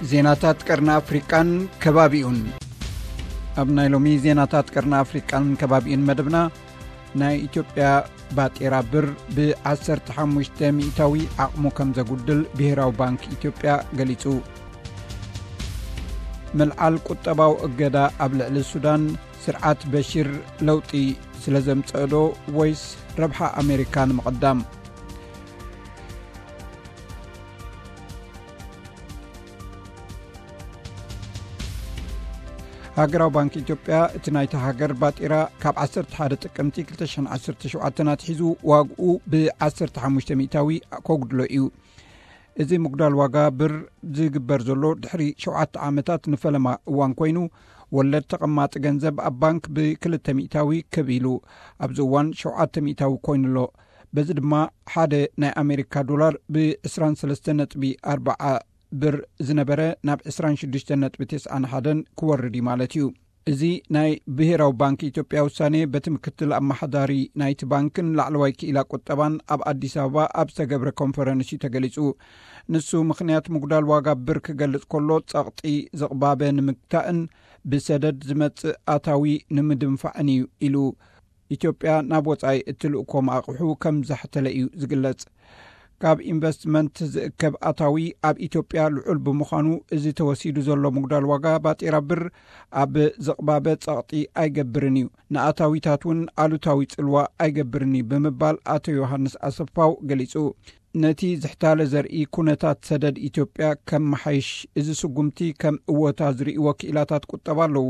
ዜናታት ቀርኒ ኣፍሪቃን ከባቢኡን። ኣብ ናይ ሎሚ ዜናታት ቀርኒ ኣፍሪቃን ከባቢኡን መደብና፣ ናይ ኢትዮጵያ ባጤራ ብር ብ15% ዓቕሙ ከም ዘጉድል ብሄራዊ ባንክ ኢትዮጵያ ገሊጹ። ምልዓል ቁጠባዊ እገዳ ኣብ ልዕሊ ሱዳን፣ ስርዓት በሺር ለውጢ ስለ ዘምጸእዶ ወይስ ረብሓ ኣሜሪካ ንምቕዳም? ሃገራዊ ባንክ ኢትዮጵያ፣ እቲ ናይታ ሃገር ባጤራ ካብ 11 ጥቅምቲ 2017 ኣትሒዙ ዋግኡ ብ15% ከጉድሎ እዩ። እዚ ምጉዳል ዋጋ ብር ዝግበር ዘሎ ድሕሪ ሸውዓተ ዓመታት ንፈለማ እዋን ኮይኑ፣ ወለድ ተቐማጢ ገንዘብ ኣብ ባንክ ብ200 ክብ ኢሉ፣ ኣብዚ እዋን 700 ኮይኑ ኣሎ። በዚ ድማ ሓደ ናይ ኣሜሪካ ዶላር ብ23.4 ብር ዝነበረ ናብ 26.91 ክወርድ እዩ ማለት እዩ። እዚ ናይ ብሄራዊ ባንክ ኢትዮጵያ ውሳኔ፣ በቲ ምክትል ኣመሓዳሪ ናይቲ ባንክን ላዕለዋይ ክኢላ ቁጠባን ኣብ ኣዲስ ኣበባ ኣብ ዝተገብረ ኮንፈረንስ እዩ ተገሊጹ። ንሱ ምኽንያት ምጉዳል ዋጋ ብር ክገልጽ ከሎ፣ ጸቕጢ ዝቕባበ ንምግታእን ብሰደድ ዝመጽእ ኣታዊ ንምድንፋዕን እዩ ኢሉ። ኢትዮጵያ ናብ ወጻኢ እትልእኮ ኣቕሑ ከም ዘሕተለ እዩ ዝግለጽ። ካብ ኢንቨስትመንት ዝእከብ ኣታዊ ኣብ ኢትዮጵያ ልዑል ብምዃኑ፣ እዚ ተወሲዱ ዘሎ ምጉዳል ዋጋ ባጤራ ብር ኣብ ዝቕባበ ጸቕጢ ኣይገብርን እዩ፣ ንኣታዊታት እውን ኣሉታዊ ጽልዋ ኣይገብርን እዩ ብምባል ኣቶ ዮሃንስ ኣሰፋው ገሊጹ። ነቲ ዝሕታለ ዘርኢ ኩነታት ሰደድ ኢትዮጵያ ከመሓይሽ፣ እዚ ስጉምቲ ከም እወታ ዝርእይዎ ክኢላታት ቁጠባ ኣለዉ።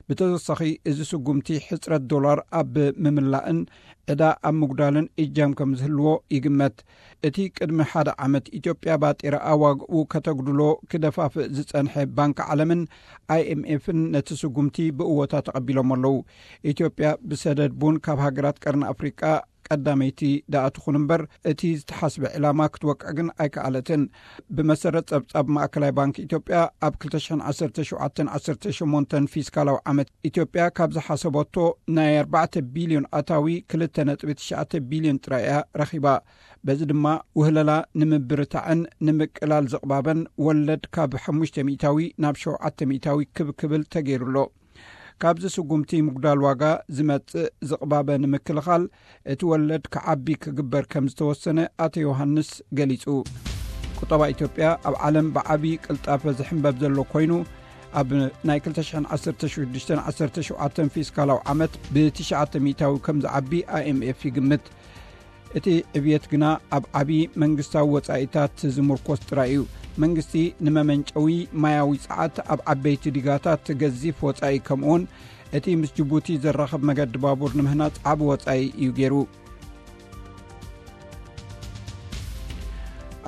ብተወሳኺ፣ እዚ ስጉምቲ ሕጽረት ዶላር ኣብ ምምላእን ዕዳ ኣብ ምጉዳልን እጃም ከም ዝህልዎ ይግመት። እቲ ቅድሚ ሓደ ዓመት ኢትዮጵያ ባጤራ ኣዋግኡ ከተጉድሎ ክደፋፍእ ዝጸንሐ ባንክ ዓለምን ኣይኤምኤፍን ነቲ ስጉምቲ ብእወታ ተቐቢሎም ኣለዉ። ኢትዮጵያ ብሰደድ ቡን ካብ ሃገራት ቀርኒ ኣፍሪቃ ቀዳመይቲ ደኣ ትኹን እምበር፣ እቲ ዝተሓስበ ዕላማ ክትወቅዕ ግን ኣይከኣለትን። ብመሰረት ጸብጻብ ማእከላይ ባንክ ኢትዮጵያ፣ ኣብ 2017-18 ፊስካላዊ ዓመት፣ ኢትዮጵያ ካብ ዝሓሰበቶ ናይ 4 ቢልዮን ኣታዊ 2.9 ቢልዮን ጥራይ እያ ረኺባ። በዚ ድማ፣ ውህለላ ንምብርታዕን ንምቅላል ዝቕባበን ወለድ ካብ 500 ናብ 700 ክብ ክብል ተገይሩ ኣሎ። ካብዚ ስጉምቲ ምጉዳል ዋጋ ዝመጽእ ዝቕባበ ንምክልኻል፣ እቲ ወለድ ክዓቢ ክግበር ከም ዝተወሰነ ኣቶ ዮሃንስ ገሊጹ። ቁጠባ ኢትዮጵያ ኣብ ዓለም ብዓቢ ቅልጣፈ ዝሕንበብ ዘሎ ኮይኑ፣ ኣብ ናይ 2016-17 ፊስካላዊ ዓመት ብ900 ከም ዝዓቢ ኣይኤምኤፍ ይግምት። እቲ ዕብየት ግና ኣብ ዓቢ መንግስታዊ ወጻኢታት ዝምርኮስ ጥራይ እዩ። መንግስቲ ንመመንጨዊ ማያዊ ጸዓት ኣብ ዓበይቲ ዲጋታት ገዚፍ ወጻኢ፣ ከምኡውን እቲ ምስ ጅቡቲ ዘራኽብ መገዲ ባቡር ንምህናጽ ዓቢ ወጻኢ እዩ ገይሩ።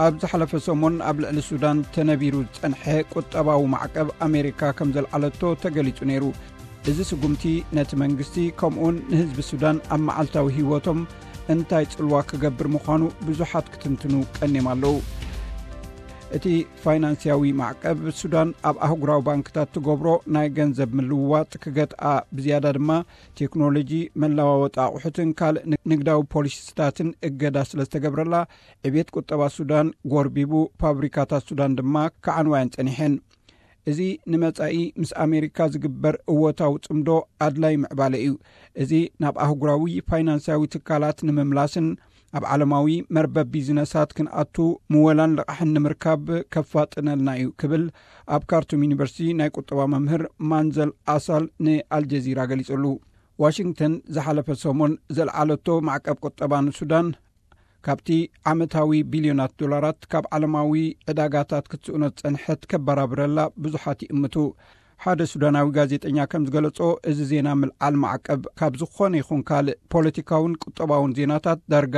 ኣብ ዝሓለፈ ሰሙን ኣብ ልዕሊ ሱዳን ተነቢሩ ዝጸንሐ ቁጠባዊ ማዕቀብ ኣሜሪካ ከም ዘልዓለቶ ተገሊጹ ነይሩ። እዚ ስጉምቲ ነቲ መንግስቲ ከምኡውን ንህዝቢ ሱዳን ኣብ መዓልታዊ ህይወቶም እንታይ ጽልዋ ክገብር ምዃኑ ብዙሓት ክትንትኑ ቀኒዮም ኣለዉ። እቲ ፋይናንስያዊ ማዕቀብ ሱዳን ኣብ ኣህጉራዊ ባንክታት ትገብሮ ናይ ገንዘብ ምልውዋጥ ክገትኣ፣ ብዝያዳ ድማ ቴክኖሎጂ፣ መለዋወጢ ኣቑሑትን ካልእ ን-፣ ንግዳዊ ፖሊሲታትን እገዳ ስለ ዝተገብረላ፣ ዕብየት ቁጠባ ሱዳን ጎርቢቡ፣ ፋብሪካታት ሱዳን ድማ ክዓንዋየን ጸኒሐን። እዚ ንመጻኢ ምስ ኣሜሪካ ዝግበር እወታዊ ጽምዶ ኣድላይ ምዕባለ እዩ። እዚ ናብ ኣህጉራዊ ፋይናንሳዊ ትካላት ንምምላስን ኣብ ዓለማዊ መርበብ ቢዝነሳት ክንኣቱ ምወላን ልቓሕን ንምርካብ ከፋጥነልና እዩ ክብል ኣብ ካርቱም ዩኒቨርሲቲ ናይ ቁጠባ መምህር ማንዘል ኣሳል ንኣልጀዚራ ገሊጹሉ። ዋሽንግተን ዝሓለፈ ሰሙን ዘልዓለቶ ማዕቀብ ቁጠባ ንሱዳን፣ ካብቲ ዓመታዊ ቢልዮናት ዶላራት ካብ ዓለማዊ ዕዳጋታት ክትስእኖ ዝጸንሐት ከበራብረላ ብዙሓት ይእምቱ። ሓደ ሱዳናዊ ጋዜጠኛ ከም ዝገለጾ፣ እዚ ዜና ምልዓል ማዕቀብ ካብ ዝኾነ ይኹን ካልእ ፖለቲካውን ቁጠባውን ዜናታት ዳርጋ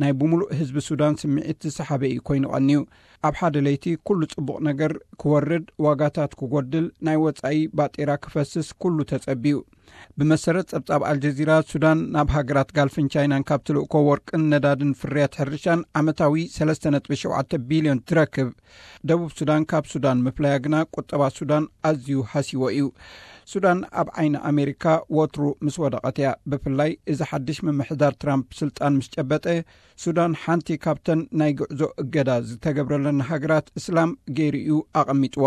ናይ ብምሉእ ህዝቢ ሱዳን ስምዒት ዝሰሓበ እዩ ኮይኑ ቀንዩ። ኣብ ሓደ ለይቲ ኩሉ ጽቡቕ ነገር ክወርድ፣ ዋጋታት ክጎድል፣ ናይ ወጻኢ ባጤራ ክፈስስ ኩሉ ተጸብዩ። ብመሰረት ጸብጻብ ኣልጀዚራ፣ ሱዳን ናብ ሃገራት ጋልፍን ቻይናን ካብ ትልእኮ ወርቅን ነዳድን ፍርያት ሕርሻን ዓመታዊ 3.7 ቢልዮን ትረክብ። ደቡብ ሱዳን ካብ ሱዳን ምፍላያ ግና ቁጠባ ሱዳን ኣዝዩ ሃሲዎ እዩ። ሱዳን ኣብ ዓይኒ ኣሜሪካ ወትሩ ምስ ወደቐት እያ። ብፍላይ እዚ ሓድሽ ምምሕዳር ትራምፕ ስልጣን ምስ ጨበጠ፣ ሱዳን ሓንቲ ካብተን ናይ ጉዕዞ እገዳ ዝተገብረለን ሃገራት እስላም ገይሩ እዩ ኣቐሚጥዋ።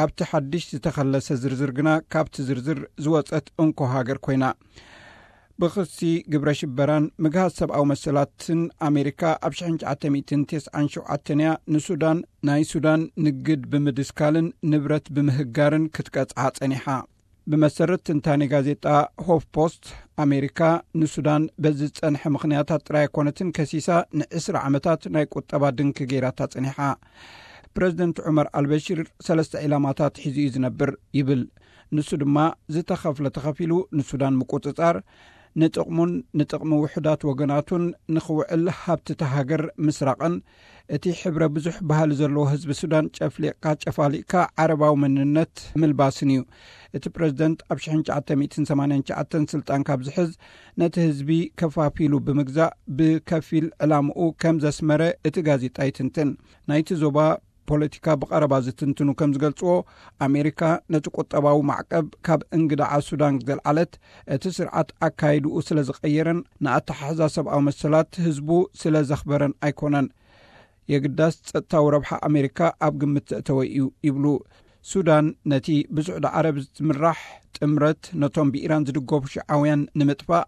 ኣብቲ ሓድሽ ዝተኸለሰ ዝርዝር ግና፣ ካብቲ ዝርዝር ዝወጸት እንኮ ሃገር ኮይና። ብኽሲ ግብረ ሽበራን ምግሃስ ሰብኣዊ መሰላትን ኣሜሪካ ኣብ ሽሕን ትሽዓተ ሚእትን ተስዓን ሸውዓተን እያ ንሱዳን፣ ናይ ሱዳን ንግድ ብምድስካልን ንብረት ብምህጋርን ክትቀጽዓ ጸኒሓ። ብመሰረት ትንታኔ ጋዜጣ ሆፍ ፖስት፣ ኣሜሪካ ንሱዳን በዚ ዝጸንሐ ምኽንያታት ጥራይ ኣይኮነትን ከሲሳ፣ ንዕስራ ዓመታት ናይ ቁጠባ ድንክ ገይራታ ጸኒሓ። ፕረዚደንት ዑመር ኣልበሽር ሰለስተ ዒላማታት ሒዙ እዩ ዝነብር ይብል። ንሱ ድማ ዝተኸፍለ ተኸፊሉ ንሱዳን ምቁጽጻር፣ ንጥቕሙን ንጥቕሚ ውሑዳት ወገናቱን ንኽውዕል ሃብቲ እታ ሃገር ምስራቕን፣ እቲ ሕብረ ብዙሕ ባህሊ ዘለዎ ህዝቢ ሱዳን ጨፍሊቕካ ጨፋሊቕካ ዓረባዊ መንነት ምልባስን እዩ። እቲ ፕረዚደንት ኣብ ሽሕን ትሽዓተ ሚእትን ሰማንያን ትሽዓተን ስልጣን ካብ ዝሕዝ፣ ነቲ ህዝቢ ከፋፊሉ ብምግዛእ ብከፊል ዕላምኡ ከም ዘስመረ እቲ ጋዜጣ ይትንትን። ናይቲ ዞባ ፖለቲካ ብቐረባ ዝትንትኑ ከም ዝገልጽዎ፣ ኣሜሪካ ነቲ ቁጠባዊ ማዕቀብ ካብ እንግዳዓ ሱዳን ዘልዓለት፣ እቲ ስርዓት ኣካይድኡ ስለ ዝቐየረን ንኣተሓሕዛ ሰብኣዊ መሰላት ህዝቡ ስለ ዘኽበረን ኣይኮነን። የግዳስ ጸጥታዊ ረብሓ ኣሜሪካ ኣብ ግምት ዘእተወ እዩ ይብሉ። ሱዳን ነቲ ብስዑዲ ዓረብ ዝምራሕ ጥምረት፣ ነቶም ብኢራን ዝድገፉ ሽዓውያን ንምጥፋእ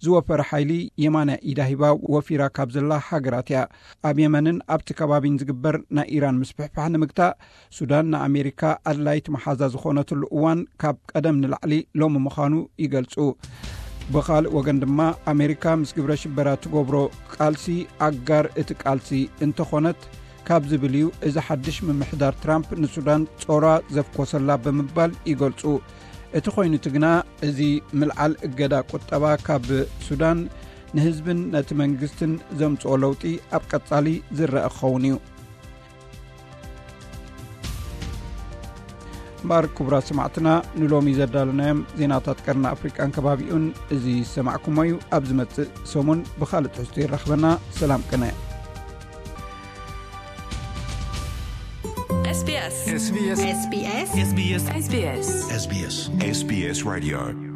ዝወፈረ ሓይሊ የማናይ ኢዳ ሂባ ወፊራ ካብ ዘላ ሃገራት እያ። ኣብ የመንን ኣብቲ ከባቢን ዝግበር ናይ ኢራን ምስፍሕፋሕ ንምግታእ፣ ሱዳን ንኣሜሪካ ኣድላይት መሓዛ ዝኾነትሉ እዋን ካብ ቀደም ንላዕሊ ሎሚ ምዃኑ ይገልጹ። ብኻልእ ወገን ድማ፣ ኣሜሪካ ምስ ግብረ ሽበራ ትገብሮ ቃልሲ ኣጋር እቲ ቃልሲ እንተኾነት ካብ ዝብል እዩ እዚ ሓድሽ ምምሕዳር ትራምፕ ንሱዳን ጾራ ዘፍኮሰላ ብምባል ይገልጹ። እቲ ኮይኑ እቲ ግና፣ እዚ ምልዓል እገዳ ቁጠባ ካብ ሱዳን ንህዝብን ነቲ መንግስትን ዘምጽኦ ለውጢ ኣብ ቀጻሊ ዝረአ ክኸውን እዩ። እምበኣር ክቡራት ሰማዕትና፣ ንሎሚ ዘዳለናዮም ዜናታት ቀርኒ ኣፍሪቃን ከባቢኡን እዚ ዝሰማዕኩሞ እዩ። ኣብ ዝመጽእ ሰሙን ብኻልእ ትሕዝቶ ይራኽበና። ሰላም ቅነ። SBS SBS SBS SBS SBS SBS SBS SBS Radio